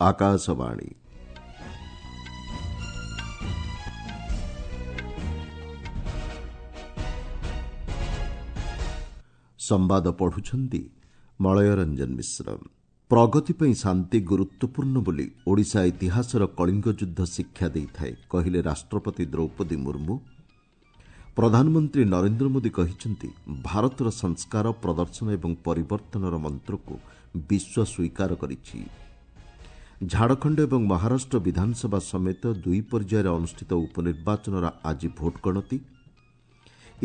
ଆକାଶବାଣୀ। ସମ୍ବାଦ ପଢୁଛନ୍ତି ମଳୟ ରଞ୍ଜନ ମିଶ୍ର। ପ୍ରଗତି ପାଇଁ ଶାନ୍ତି ଗୁରୁତ୍ୱପୂର୍ଣ୍ଣ ବୋଲି ଓଡ଼ିଶା ଇତିହାସର କଳିଙ୍ଗ ଯୁଦ୍ଧ ଶିକ୍ଷା ଦେଇଥାଏ, କହିଲେ ରାଷ୍ଟ୍ରପତି ଦ୍ରୌପଦୀ ମୁର୍ମୁ। ପ୍ରଧାନମନ୍ତ୍ରୀ ନରେନ୍ଦ୍ର ମୋଦି କହିଛନ୍ତି, ଭାରତର ସଂସ୍କାର, ପ୍ରଦର୍ଶନ ଏବଂ ପରିବର୍ତ୍ତନର ମନ୍ତ୍ରକୁ ବିଶ୍ୱ ସ୍ୱୀକାର କରିଛି। ଝାଡ଼ଖଣ୍ଡ ଏବଂ ମହାରାଷ୍ଟ୍ର ବିଧାନସଭା ସମେତ ଦୁଇ ପର୍ଯ୍ୟାୟରେ ଅନୁଷ୍ଠିତ ଉପନିର୍ବାଚନର ଆଜି ଭୋଟ ଗଣତି।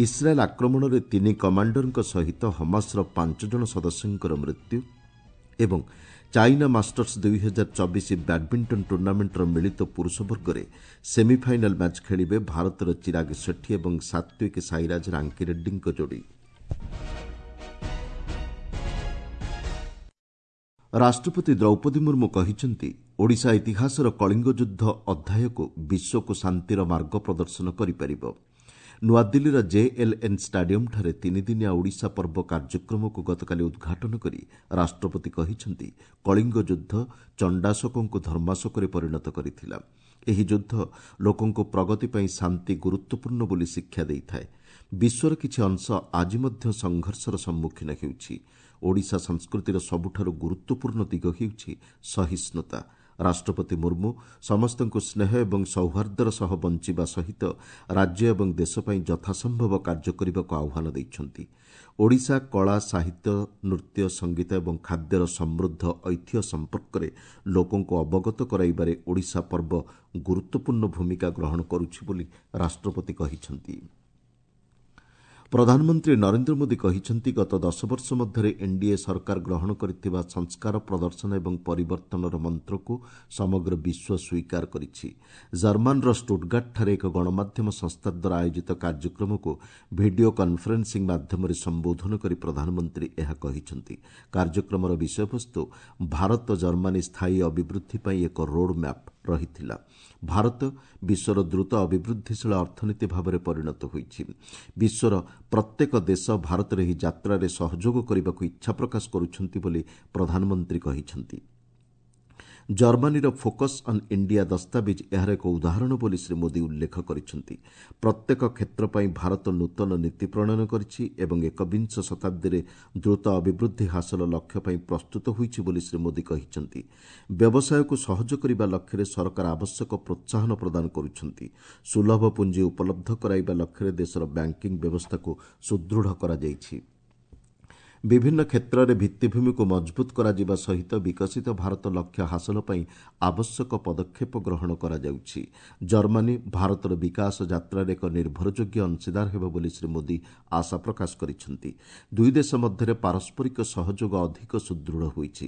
ଇସ୍ରାଏଲ୍ ଆକ୍ରମଣରେ ତିନି କମାଣ୍ଡରଙ୍କ ସହିତ ହମାସର ପାଞ୍ଚ ଜଣ ସଦସ୍ୟଙ୍କର ମୃତ୍ୟୁ ଏବଂ ଚାଇନା ମାଷ୍ଟର୍ସ 2024 ବ୍ୟାଡ୍ମିଣ୍ଟନ ଟୁର୍ଣ୍ଣାମେଣ୍ଟର ମିଳିତ ପୁରୁଷ ବର୍ଗରେ ସେମିଫାଇନାଲ୍ ମ୍ୟାଚ୍ ଖେଳିବେ ଭାରତର ଚିରାଗ ସେଠୀ ଏବଂ ସାତ୍ୱିକ ସାଇରାଜ ରାଙ୍କିରେଡ୍ଡୀଙ୍କ ଯୋଡ଼ି। ରାଷ୍ଟ୍ରପତି ଦ୍ରୌପଦୀ ମୁର୍ମୁ କହିଛନ୍ତି, ଓଡ଼ିଶା ଇତିହାସର କଳିଙ୍ଗ ଯୁଦ୍ଧ ଅଧ୍ୟାୟକୁ ବିଶ୍ୱକୁ ଶାନ୍ତିର ମାର୍ଗ ପ୍ରଦର୍ଶନ କରିପାରିବ। ନୂଆଦିଲ୍ଲୀର ଜେଏଲ୍ଏନ୍ ଷ୍ଟାଡିୟମ୍ଠାରେ ତିନିଦିନିଆ ଓଡ଼ିଶା ପର୍ବ କାର୍ଯ୍ୟକ୍ରମକୁ ଗତକାଲି ଉଦ୍ଘାଟନ କରି ରାଷ୍ଟ୍ରପତି କହିଛନ୍ତି, କଳିଙ୍ଗ ଯୁଦ୍ଧ ଚଣ୍ଡାଶୋକଙ୍କୁ ଧର୍ମାଶୋକରେ ପରିଣତ କରିଥିଲା। ଏହି ଯୁଦ୍ଧ ଲୋକଙ୍କୁ ପ୍ରଗତି ପାଇଁ ଶାନ୍ତି ଗୁରୁତ୍ୱପୂର୍ଣ୍ଣ ବୋଲି ଶିକ୍ଷା ଦେଇଥାଏ। ବିଶ୍ୱର କିଛି ଅଂଶ ଆଜି ମଧ୍ୟ ସଂଘର୍ଷର ସମ୍ମୁଖୀନ ହେଉଛି। ଓଡ଼ିଶା ସଂସ୍କୃତିର ସବୁଠାରୁ ଗୁରୁତ୍ୱପୂର୍ଣ୍ଣ ଦିଗ ହେଉଛି ସହିଷ୍ଣୁତା। ରାଷ୍ଟ୍ରପତି ମୁର୍ମୁ ସମସ୍ତଙ୍କୁ ସ୍ନେହ ଏବଂ ସୌହାର୍ଦ୍ଦ୍ୟର ସହ ବଞ୍ଚିବା ସହିତ ରାଜ୍ୟ ଏବଂ ଦେଶ ପାଇଁ ଯଥାସମ୍ଭବ କାର୍ଯ୍ୟ କରିବାକୁ ଆହ୍ୱାନ ଦେଇଛନ୍ତି। ଓଡ଼ିଶା କଳା, ସାହିତ୍ୟ, ନୃତ୍ୟ, ସଙ୍ଗୀତ ଏବଂ ଖାଦ୍ୟର ସମୃଦ୍ଧ ଐତିହ୍ୟ ସମ୍ପର୍କରେ ଲୋକଙ୍କୁ ଅବଗତ କରାଇବାରେ ଓଡ଼ିଶା ପର୍ବ ଗୁରୁତ୍ୱପୂର୍ଣ୍ଣ ଭୂମିକା ଗ୍ରହଣ କରୁଛି ବୋଲି ରାଷ୍ଟ୍ରପତି କହିଛନ୍ତି। ପ୍ରଧାନମନ୍ତ୍ରୀ ନରେନ୍ଦ୍ର ମୋଦି କହିଛନ୍ତି, ଗତ 10 ବର୍ଷ ମଧ୍ୟରେ ଏନ୍ଡିଏ ସରକାର ଗ୍ରହଣ କରିଥିବା ସଂସ୍କାର, ପ୍ରଦର୍ଶନ ଏବଂ ପରିବର୍ତ୍ତନର ମନ୍ତ୍ରକୁ ସମଗ୍ର ବିଶ୍ୱ ସ୍ୱୀକାର କରିଛି। ଜର୍ମାନର ଷ୍ଟୁଟ୍ଗାର୍ଟଠାରେ ଏକ ଗଣମାଧ୍ୟମ ସଂସ୍ଥା ଦ୍ୱାରା ଆୟୋଜିତ କାର୍ଯ୍ୟକ୍ରମକୁ ଭିଡିଓ କନ୍ଫରେନ୍ସିଂ ମାଧ୍ୟମରେ ସମ୍ବୋଧନ କରି ପ୍ରଧାନମନ୍ତ୍ରୀ ଏହା କହିଛନ୍ତି। କାର୍ଯ୍ୟକ୍ରମର ବିଷୟବସ୍ତୁ ଭାରତ ଜର୍ମାନୀ ସ୍ଥାୟୀ ଅଭିବୃଦ୍ଧି ପାଇଁ ଏକ ରୋଡ୍ ମ୍ୟାପ୍ ରହିଥିଲା। ଭାରତ ବିଶ୍ୱର ଦ୍ରୁତ ଅଭିବୃଦ୍ଧିଶୀଳ ଅର୍ଥନୀତି ଭାବରେ ପରିଣତ ହୋଇଛି। ବିଶ୍ୱର ପ୍ରତ୍ୟେକ ଦେଶ ଭାରତର ଏହି ଯାତ୍ରାରେ ସହଯୋଗ କରିବାକୁ ଇଚ୍ଛା ପ୍ରକାଶ କରୁଛନ୍ତି ବୋଲି ପ୍ରଧାନମନ୍ତ୍ରୀ କହିଛନ୍ତି। ଜର୍ମାନୀର ଫୋକସ୍ ଅନ୍ ଇଣ୍ଡିଆ ଦସ୍ତାବିଜ୍ ଏହାର ଏକ ଉଦାହରଣ ବୋଲି ଶ୍ରୀ ମୋଦି ଉଲ୍ଲେଖ କରିଛନ୍ତି। ପ୍ରତ୍ୟେକ କ୍ଷେତ୍ର ପାଇଁ ଭାରତ ନୂତନ ନୀତି ପ୍ରଣୟନ କରିଛି ଏବଂ ଏକବିଂଶ ଶତାବ୍ଦୀରେ ଦ୍ରୁତ ଅଭିବୃଦ୍ଧି ହାସଲ ଲକ୍ଷ୍ୟ ପାଇଁ ପ୍ରସ୍ତୁତ ହୋଇଛି ବୋଲି ଶ୍ରୀ ମୋଦି କହିଛନ୍ତି। ବ୍ୟବସାୟକୁ ସହଜ କରିବା ଲକ୍ଷ୍ୟରେ ସରକାର ଆବଶ୍ୟକ ପ୍ରୋତ୍ସାହନ ପ୍ରଦାନ କରୁଛନ୍ତି। ସୁଲଭ ପୁଞ୍ଜି ଉପଲବ୍ଧ କରାଇବା ଲକ୍ଷ୍ୟରେ ଦେଶର ବ୍ୟାଙ୍କିଂ ବ୍ୟବସ୍ଥାକୁ ସୁଦୃଢ଼ କରାଯାଇଛି। ବିଭିନ୍ନ କ୍ଷେତ୍ରରେ ଭିତ୍ତିଭୂମିକୁ ମଜବୁତ କରାଯିବା ସହିତ ବିକଶିତ ଭାରତ ଲକ୍ଷ୍ୟ ହାସଲ ପାଇଁ ଆବଶ୍ୟକ ପଦକ୍ଷେପ ଗ୍ରହଣ କରାଯାଉଛି। ଜର୍ମାନୀ ଭାରତର ବିକାଶ ଯାତ୍ରାରେ ଏକ ନିର୍ଭରଯୋଗ୍ୟ ଅଂଶୀଦାର ହେବ ବୋଲି ଶ୍ରୀ ମୋଦି ଆଶା ପ୍ରକାଶ କରିଛନ୍ତି। ଦୁଇ ଦେଶ ମଧ୍ୟରେ ପାରସ୍ପରିକ ସହଯୋଗ ଅଧିକ ସୁଦୃଢ଼ ହୋଇଛି।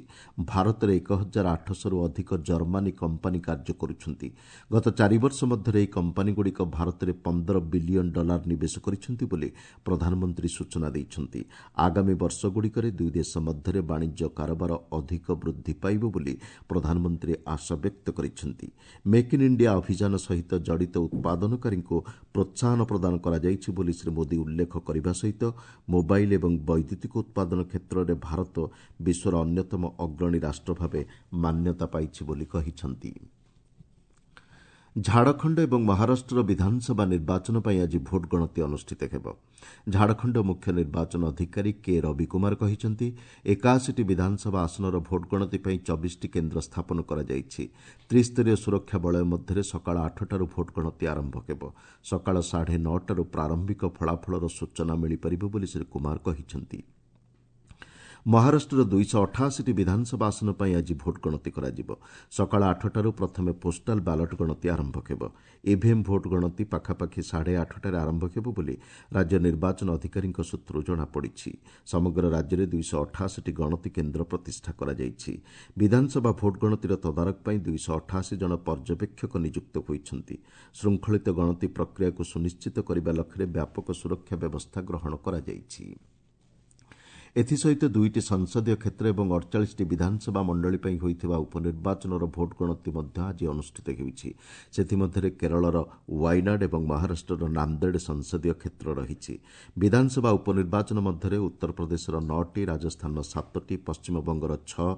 ଭାରତରେ 1800ରୁ ଅଧିକ ଜର୍ମାନୀ କମ୍ପାନୀ କାର୍ଯ୍ୟ କରୁଛନ୍ତି। ଗତ 4 ବର୍ଷ ମଧ୍ୟରେ ଏହି କମ୍ପାନୀଗୁଡ଼ିକ ଭାରତରେ 15 ବିଲିୟନ ଡଲାର ନିବେଶ କରିଛନ୍ତି ବୋଲି ପ୍ରଧାନମନ୍ତ୍ରୀ ସୂଚନା ଦେଇଛନ୍ତି। ଆଗାମୀ ବର୍ଷଗୁଡ଼ିକରେ ଦୁଇ ଦେଶ ମଧ୍ୟରେ ବାଣିଜ୍ୟ କାରବାର ଅଧିକ ବୃଦ୍ଧି ପାଇବ ବୋଲି ପ୍ରଧାନମନ୍ତ୍ରୀ ଆଶା ବ୍ୟକ୍ତ କରିଛନ୍ତି। ମେକ୍ ଇନ୍ ଇଣ୍ଡିଆ ଅଭିଯାନ ସହିତ ଜଡ଼ିତ ଉତ୍ପାଦନକାରୀଙ୍କୁ ପ୍ରୋତ୍ସାହନ ପ୍ରଦାନ କରାଯାଇଛି ବୋଲି ଶ୍ରୀ ମୋଦି ଉଲ୍ଲେଖ କରିବା ସହିତ ମୋବାଇଲ୍ ଏବଂ ବୈଦ୍ୟୁତିକ ଉତ୍ପାଦନ କ୍ଷେତ୍ରରେ ଭାରତ ବିଶ୍ୱର ଅନ୍ୟତମ ଅଗ୍ରଣୀ ରାଷ୍ଟ୍ର ଭାବେ ମାନ୍ୟତା ପାଇଛି ବୋଲି କହିଛନ୍ତି। ଝାଡ଼ଖଣ୍ଡ ଏବଂ ମହାରାଷ୍ଟ୍ର ବିଧାନସଭା ନିର୍ବାଚନ ପାଇଁ ଆଜି ଭୋଟ ଗଣତି ଅନୁଷ୍ଠିତ ହେବ। ଝାଡ଼ଖଣ୍ଡ ମୁଖ୍ୟ ନିର୍ବାଚନ ଅଧିକାରୀ କେ ରବି କୁମାର କହିଛନ୍ତି, 81ଟି ବିଧାନସଭା ଆସନର ଭୋଟ ଗଣତି ପାଇଁ 24ଟି କେନ୍ଦ୍ର ସ୍ଥାପନ କରାଯାଇଛି। ତ୍ରିସ୍ତରୀୟ ସୁରକ୍ଷା ବଳୟ ମଧ୍ୟରେ ସକାଳ 8ଟାରୁ ଭୋଟ ଗଣତି ଆରମ୍ଭ ହେବ। ସକାଳ 9:30ରୁ ପ୍ରାରମ୍ଭିକ ଫଳାଫଳର ସୂଚନା ମିଳିପାରିବ ବୋଲି ଶ୍ରୀ କୁମାର କହିଛନ୍ତି। ମହାରାଷ୍ଟ୍ରର 288ଟି ବିଧାନସଭା ଆସନ ପାଇଁ ଆଜି ଭୋଟ ଗଣତି କରାଯିବ। ସକାଳ 8ଟାରୁ ପ୍ରଥମେ ପୋଷ୍ଟାଲ ବାଲଟ ଗଣତି ଆରମ୍ଭ ହେବ। ଇଭିଏମ୍ ଭୋଟ ଗଣତି ପାଖାପାଖି 8:30ରେ ଆରମ୍ଭ ହେବ ବୋଲି ରାଜ୍ୟ ନିର୍ବାଚନ ଅଧିକାରୀଙ୍କ ସୂତ୍ରରୁ ଜଣାପଡ଼ିଛି। ସମଗ୍ର ରାଜ୍ୟରେ 288ଟି ଗଣତି କେନ୍ଦ୍ର ପ୍ରତିଷ୍ଠା କରାଯାଇଛି। ବିଧାନସଭା ଭୋଟ ଗଣତିର ତଦାରଖ ପାଇଁ 288 ଜଣ ପର୍ଯ୍ୟବେକ୍ଷକ ନିଯୁକ୍ତ ହୋଇଛନ୍ତି। ଶୃଙ୍ଖଳିତ ଗଣତି ପ୍ରକ୍ରିୟାକୁ ସୁନିଶ୍ଚିତ କରିବା ଲକ୍ଷ୍ୟରେ ବ୍ୟାପକ ସୁରକ୍ଷା ବ୍ୟବସ୍ଥା ଗ୍ରହଣ କରାଯାଇଛି। ଏଥିସହିତ 2ଟି ସଂସଦୀୟ କ୍ଷେତ୍ର ଏବଂ 48ଟି ବିଧାନସଭା ମଣ୍ଡଳୀ ପାଇଁ ହୋଇଥିବା ଉପନିର୍ବାଚନର ଭୋଟ୍ ଗଣତି ମଧ୍ୟ ଆଜି ଅନୁଷ୍ଠିତ ହେଉଛି। ସେଥିମଧ୍ୟରେ କେରଳର ୱାଇନାଡ୍ ଏବଂ ମହାରାଷ୍ଟ୍ରର ନାନ୍ଦେଡ୍ ସଂସଦୀୟ କ୍ଷେତ୍ର ରହିଛି। ବିଧାନସଭା ଉପନିର୍ବାଚନ ମଧ୍ୟରେ ଉତ୍ତରପ୍ରଦେଶର 9ଟି, ରାଜସ୍ଥାନର 7ଟି, ପଶ୍ଚିମବଙ୍ଗର 6,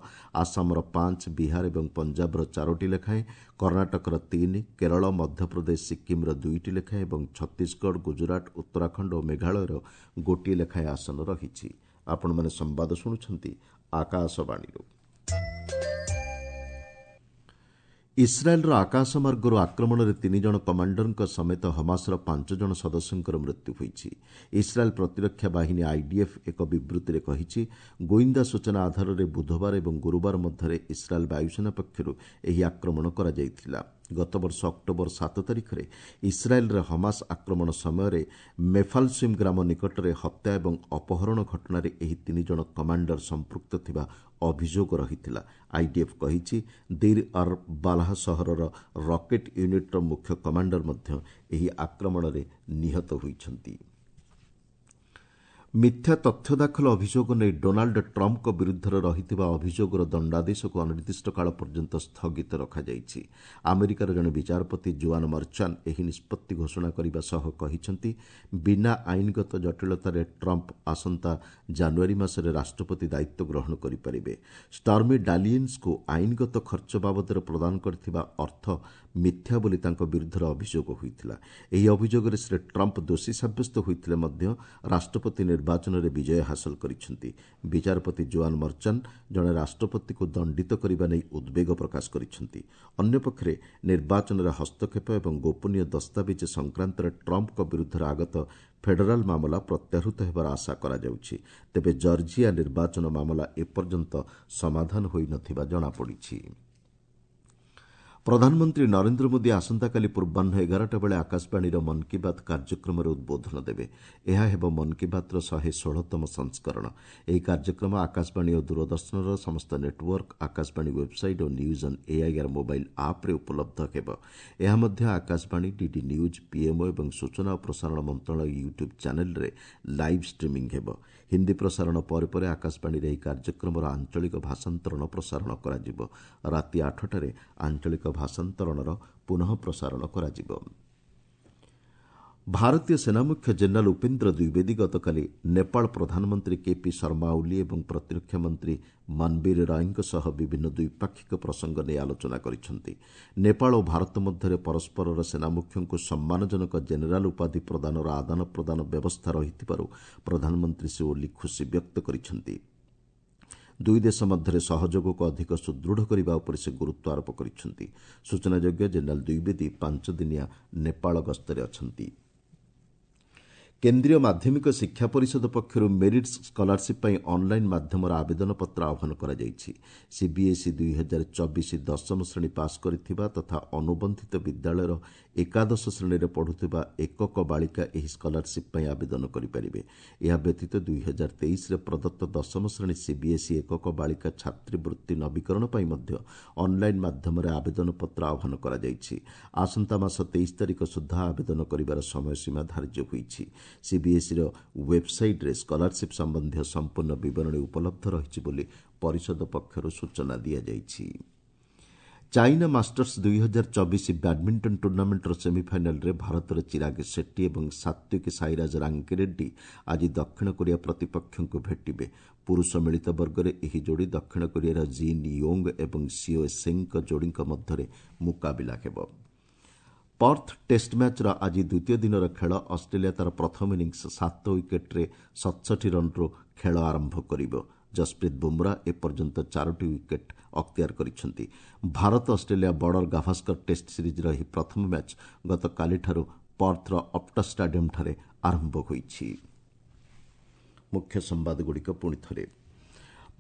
ଆସାମର 5, ବିହାର ଏବଂ ପଞ୍ଜାବର 4ଟି ଲେଖାଏଁ, କର୍ଣ୍ଣାଟକର 3, କେରଳ, ମଧ୍ୟପ୍ରଦେଶ, ସିକ୍କିମ୍ର 2ଟି ଲେଖାଏଁ ଏବଂ ଛତିଶଗଡ଼, ଗୁଜରାଟ, ଉତ୍ତରାଖଣ୍ଡ ଓ ମେଘାଳୟର ଗୋଟିଏ ଲେଖାଏଁ ଆସନ ରହିଛି। ଆପଣମାନେ ସମ୍ବାଦ ଶୁଣୁଛନ୍ତି ଆକାଶବାଣୀରୁ। ଇସ୍ରାଏଲ୍ର ଆକାଶମାର୍ଗରୁ ଆକ୍ରମଣରେ 3 ଜଣ କମାଣ୍ଡରଙ୍କ ସମେତ ହମାସର 5 ଜଣ ସଦସ୍ୟଙ୍କର ମୃତ୍ୟୁ ହୋଇଛି। ଇସ୍ରାଏଲ୍ ପ୍ରତିରକ୍ଷା ବାହିନୀ ଆଇଡିଏଫ୍ ଏକ ବିବୃତ୍ତିରେ କହିଛି, ଗୋଇନ୍ଦା ସୂଚନା ଆଧାରରେ ବୁଧବାର ଏବଂ ଗୁରୁବାର ମଧ୍ୟରେ ଇସ୍ରାଏଲ୍ ବାୟୁସେନା ପକ୍ଷରୁ ଏହି ଆକ୍ରମଣ କରାଯାଇଥିଲା। ଗତବର୍ଷ ଅକ୍ଟୋବର 7 ତାରିଖରେ ଇସ୍ରାଏଲ୍ରେ ହମାସ ଆକ୍ରମଣ ସମୟରେ ମେଫାଲସିମ୍ ଗ୍ରାମ ନିକଟରେ ହତ୍ୟା ଏବଂ ଅପହରଣ ଘଟଣାରେ ଏହି 3 ଜଣ କମାଣ୍ଡର ସମ୍ପୃକ୍ତ ଥିବା ଅଭିଯୋଗ ରହିଥିଲା। ଆଇଡିଏଫ୍ କହିଛି, ଦିର୍ ଅର୍ ବାଲାହ ସହରର ରକେଟ୍ ୟୁନିଟ୍ର ମୁଖ୍ୟ କମାଣ୍ଡର ମଧ୍ୟ ଏହି ଆକ୍ରମଣରେ ନିହତ ହୋଇଛନ୍ତି। ମିଥ୍ୟା ତଥ୍ୟ ଦାଖଲ ଅଭିଯୋଗ ନେଇ ଡୋନାଲ୍ଡ ଟ୍ରମ୍ପଙ୍କ ବିରୁଦ୍ଧରେ ରହିଥିବା ଅଭିଯୋଗର ଦଣ୍ଡାଦେଶକୁ ଅନିର୍ଦ୍ଦିଷ୍ଟ କାଳ ପର୍ଯ୍ୟନ୍ତ ସ୍ଥଗିତ ରଖାଯାଇଛି। ଆମେରିକାର ଜଣେ ବିଚାରପତି ଜୁଆନ୍ ମର୍ଚାନ୍ ଏହି ନିଷ୍ପତ୍ତି ଘୋଷଣା କରିବା ସହ କହିଛନ୍ତି, ବିନା ଆଇନଗତ ଜଟିଳତାରେ ଟ୍ରମ୍ପ ଆସନ୍ତା ଜାନୁଆରୀ ମାସରେ ରାଷ୍ଟ୍ରପତି ଦାୟିତ୍ୱ ଗ୍ରହଣ କରିପାରିବେ। ଷ୍ଟର୍ମି ଡାନିଏଲ୍ସଙ୍କୁ ଆଇନଗତ ଖର୍ଚ୍ଚ ବାବଦରେ ପ୍ରଦାନ କରିଥିବା ଅର୍ଥ ମିଥ୍ୟା ବୋଲି ତାଙ୍କ ବିରୁଦ୍ଧରେ ଅଭିଯୋଗ ହୋଇଥିଲା। ଏହି ଅଭିଯୋଗରେ ଶ୍ରୀ ଟ୍ରମ୍ପ ଦୋଷୀ ସାବ୍ୟସ୍ତ ହୋଇଥିଲେ ମଧ୍ୟ ରାଷ୍ଟ୍ରପତି ନିର୍ବାଚନରେ ବିଜୟ ହାସଲ କରିଛନ୍ତି। ବିଚାରପତି ଜୁଆନ୍ ମର୍ଚାନ୍ ଜଣେ ରାଷ୍ଟ୍ରପତିକୁ ଦଣ୍ଡିତ କରିବା ନେଇ ଉଦ୍ବେଗ ପ୍ରକାଶ କରିଛନ୍ତି। ଅନ୍ୟପକ୍ଷରେ ନିର୍ବାଚନରେ ହସ୍ତକ୍ଷେପ ଏବଂ ଗୋପନୀୟ ଦସ୍ତାବିଜ ସଂକ୍ରାନ୍ତରେ ଟ୍ରମ୍ପଙ୍କ ବିରୁଦ୍ଧରେ ଆଗତ ଫେଡେରାଲ୍ ମାମଲା ପ୍ରତ୍ୟାହୃତ ହେବାର ଆଶା କରାଯାଉଛି। ତେବେ ଜର୍ଜିଆ ନିର୍ବାଚନ ମାମଲା ଏପର୍ଯ୍ୟନ୍ତ ସମାଧାନ ହୋଇନଥିବା ଜଣାପଡ଼ିଛି। ପ୍ରଧାନମନ୍ତ୍ରୀ ନରେନ୍ଦ୍ର ମୋଦି ଆସନ୍ତାକାଲି ପୂର୍ବାହ୍ନ 11ଟା ବେଳେ ଆକାଶବାଣୀର ମନ୍ କି ବାତ୍ କାର୍ଯ୍ୟକ୍ରମରେ ଉଦ୍ବୋଧନ ଦେବେ। ଏହା ହେବ ମନ୍ କି ବାତ୍ର 116ତମ ସଂସ୍କରଣ। ଏହି କାର୍ଯ୍ୟକ୍ରମ ଆକାଶବାଣୀ ଓ ଦୂରଦର୍ଶନର ସମସ୍ତ network, Akashvani website O news on AIR mobile ଆପ୍ରେ ଉପଲବ୍ଧ ହେବ। ଏହା ମଧ୍ୟ ଆକାଶବାଣୀ, ଡିଡି ନ୍ୟୁଜ୍, ପିଏମ୍ଓ ଏବଂ ସୂଚନା ଓ ପ୍ରସାରଣ ମନ୍ତ୍ରଣାଳୟ ୟୁଟ୍ୟୁବ୍ ଚ୍ୟାନେଲ୍ରେ ଲାଇଭ୍ ଷ୍ଟ୍ରିମିଂ ହେବ। ହିନ୍ଦୀ ପ୍ରସାରଣ ପରେ ପରେ ଆକାଶବାଣୀରେ ଏହି କାର୍ଯ୍ୟକ୍ରମର ଆଞ୍ଚଳିକ ଭାଷାନ୍ତରଣ ପ୍ରସାରଣ କରାଯିବ। ରାତି 8ଟାରେ ଆଞ୍ଚଳିକ ଭାଷାନ୍ତରଣର ପୁନଃ ପ୍ରସାରଣ କରାଯିବ। ଭାରତୀୟ ସେନାମୁଖ୍ୟ ଜେନେରାଲ୍ ଉପେନ୍ଦ୍ର ଦ୍ୱିବେଦୀ ଗତକାଲି ନେପାଳ ପ୍ରଧାନମନ୍ତ୍ରୀ କେପି ଶର୍ମା ଓଲି ଏବଂ ପ୍ରତିରକ୍ଷା ମନ୍ତ୍ରୀ ମନବୀର ରାୟଙ୍କ ସହ ବିଭିନ୍ନ ଦ୍ୱିପାକ୍ଷିକ ପ୍ରସଙ୍ଗ ନେଇ ଆଲୋଚନା କରିଛନ୍ତି। ନେପାଳ ଓ ଭାରତ ମଧ୍ୟରେ ପରସ୍ପରର ସେନାମୁଖ୍ୟଙ୍କୁ ସମ୍ମାନଜନକ ଜେନେରାଲ୍ ଉପାଧି ପ୍ରଦାନର ଆଦାନ ପ୍ରଦାନ ବ୍ୟବସ୍ଥା ରହିଥିବାରୁ ପ୍ରଧାନମନ୍ତ୍ରୀ ଶ୍ରୀ ଓଲି ଖୁସି ବ୍ୟକ୍ତ କରିଛନ୍ତି। ଦୁଇ ଦେଶ ମଧ୍ୟରେ ସହଯୋଗକୁ ଅଧିକ ସୁଦୃଢ଼ କରିବା ଉପରେ ସେ ଗୁରୁତ୍ୱ ଆରୋପ କରିଛନ୍ତି। ସୂଚନାଯୋଗ୍ୟ, ଜେନେରାଲ୍ ଦ୍ୱିବେଦୀ 5 ଦିନିଆ ନେପାଳ ଗସ୍ତରେ ଅଛନ୍ତି। କେନ୍ଦ୍ରୀୟ ମାଧ୍ୟମିକ ଶିକ୍ଷା ପରିଷଦ ପକ୍ଷରୁ ମେରିଟ୍ ସ୍କଲାରସିପ୍ ପାଇଁ ଅନ୍ଲାଇନ୍ ମାଧ୍ୟମରେ ଆବେଦନପତ୍ର ଆହ୍ୱାନ କରାଯାଇଛି। ସିବିଏସ୍ଇ 2024 ଦଶମ ଶ୍ରେଣୀ ପାସ୍ କରିଥିବା ତଥା ଅନୁବନ୍ଧିତ ବିଦ୍ୟାଳୟର ଏକାଦଶ ଶ୍ରେଣୀରେ ପଢ଼ୁଥିବା ଏକକ ବାଳିକା ଏହି ସ୍କଲାରସିପ୍ ପାଇଁ ଆବେଦନ କରିପାରିବେ। ଏହା ବ୍ୟତୀତ 2023ରେ ପ୍ରଦତ୍ତ ଦଶମ ଶ୍ରେଣୀ ସିବିଏସ୍ଇ ଏକକ ବାଳିକା ଛାତ୍ରୀବୃତ୍ତି ନବୀକରଣ ପାଇଁ ମଧ୍ୟ ଅନ୍ଲାଇନ୍ ମାଧ୍ୟମରେ ଆବେଦନପତ୍ର ଆହ୍ୱାନ କରାଯାଇଛି। ଆସନ୍ତା ମାସ 23 ତାରିଖ ସୁଦ୍ଧା ଆବେଦନ କରିବାର ସମୟସୀମା ଧାର୍ଯ୍ୟ ହୋଇଛି। ସିବିଏସ୍ଇର ୱେବ୍ସାଇଟ୍ରେ ସ୍କଲାରସିପ୍ ସମ୍ବନ୍ଧୀୟ ସମ୍ପୂର୍ଣ୍ଣ ବିବରଣୀ ଉପଲବ୍ଧ ରହିଛି ବୋଲି ପରିଷଦ ପକ୍ଷରୁ ସୂଚନା ଦିଆଯାଇଛି। ଚାଇନା ମାଷ୍ଟର୍ସ 2024 ବ୍ୟାଡ୍ମିଣ୍ଟନ ଟୁର୍ଣ୍ଣାମେଣ୍ଟର ସେମିଫାଇନାଲ୍ରେ ଭାରତର ଚିରାଗ ସେଟ୍ଟି ଏବଂ ସାତ୍ୱିକ ସାଇରାଜ ରାଙ୍କିରେଡ୍ଡି ଆଜି ଦକ୍ଷିଣ କୋରିଆ ପ୍ରତିପକ୍ଷଙ୍କୁ ଭେଟିବେ। ପୁରୁଷ ମିଳିତ ବର୍ଗରେ ଏହି ଯୋଡ଼ି ଦକ୍ଷିଣ କୋରିଆର ଜିନ୍ ୟୋଙ୍ଗ ଏବଂ ସିଓ ସେଙ୍ଗଙ୍କ ଯୋଡ଼ିଙ୍କ ମଧ୍ୟରେ ମୁକାବିଲା ହେବ। ପର୍ଥ ଟେଷ୍ଟ ମ୍ୟାଚ୍ର ଆଜି ଦ୍ୱିତୀୟ ଦିନର ଖେଳ। ଅଷ୍ଟ୍ରେଲିଆ ତା'ର ପ୍ରଥମ ଇନିଂସ 7 ୱିକେଟ୍ରେ 67 ରନ୍ରୁ ଖେଳ ଆରମ୍ଭ କରିବ। ଜସପ୍ରୀତ ବୁମ୍ରା ଏପର୍ଯ୍ୟନ୍ତ 4ଟି ୱିକେଟ୍ ଅକ୍ତିଆର କରିଛନ୍ତି। Bharat Australia border Gavaskar test ସିରିଜ୍ର ଏହି ପ୍ରଥମ ମ୍ୟାଚ୍ ଗତକାଲିଠାରୁ ପର୍ଥର ଅପ୍ଟସ୍ ଷ୍ଟାଡିୟମ୍ଠାରେ ଆରମ୍ଭ ହୋଇଛି। ମୁଖ୍ୟ ସମ୍ବାଦଗୁଡ଼ିକ ପୁଣି ଥରେ।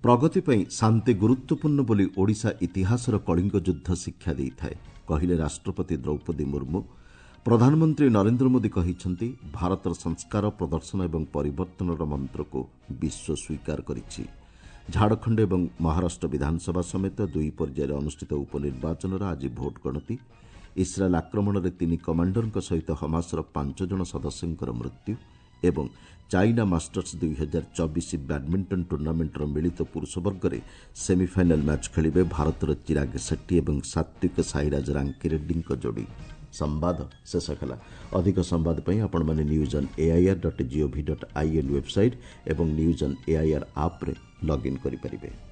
ପ୍ରଗତି ପାଇଁ ଶାନ୍ତି ଗୁରୁତ୍ୱପୂର୍ଣ୍ଣ ବୋଲି ଓଡ଼ିଶା ଇତିହାସର କଳିଙ୍ଗ ଯୁଦ୍ଧ ଶିକ୍ଷା ଦେଇଥାଏ, କହିଲେ ରାଷ୍ଟ୍ରପତି ଦ୍ରୌପଦୀ ମୁର୍ମୁ। ପ୍ରଧାନମନ୍ତ୍ରୀ ନରେନ୍ଦ୍ର ମୋଦି କହିଛନ୍ତି, ଭାରତର ସଂସ୍କାର, ପ୍ରଦର୍ଶନ ଏବଂ ପରିବର୍ତ୍ତନର ମନ୍ତ୍ରକୁ ବିଶ୍ୱ ସ୍ୱୀକାର କରିଛି। ଝାଡ଼ଖଣ୍ଡ ଏବଂ ମହାରାଷ୍ଟ୍ର ବିଧାନସଭା ସମେତ 2 ପର୍ଯ୍ୟାୟରେ ଅନୁଷ୍ଠିତ ଉପନିର୍ବାଚନର ଆଜି ଭୋଟ୍ ଗଣତି। ଇସ୍ରାଏଲ୍ ଆକ୍ରମଣରେ 3 କମାଣ୍ଡରଙ୍କ ସହିତ ହମାସର 5 ଜଣ ସଦସ୍ୟଙ୍କର ମୃତ୍ୟୁ। ଏବଂ ଚାଇନା ମାଷ୍ଟର୍ସ 2024 ବ୍ୟାଡ୍ମିଣ୍ଟନ ଟୁର୍ଣ୍ଣାମେଣ୍ଟର ମିଳିତ ପୁରୁଷ ବର୍ଗରେ ସେମିଫାଇନାଲ୍ ମ୍ୟାଚ୍ ଖେଳିବେ ଭାରତର ଚିରାଗ ସେଟ୍ଟି ଏବଂ ସାତ୍ୱିକ ସାଇରାଜ ରାଙ୍କିରେଡ୍ଡୀଙ୍କ ଯୋଡ଼ି। ସମ୍ବାଦ ଶେଷ ହେଲା। ଅଧିକ ସମ୍ବାଦ ପାଇଁ ଆପଣମାନେ news on AIR dot GOV dot IN website ଏବଂ ନ୍ୟୁଜ୍ ଅନ୍ ଏଆଇଆର୍ ଆପ୍ରେ ଲଗ୍ଇନ୍ କରିପାରିବେ।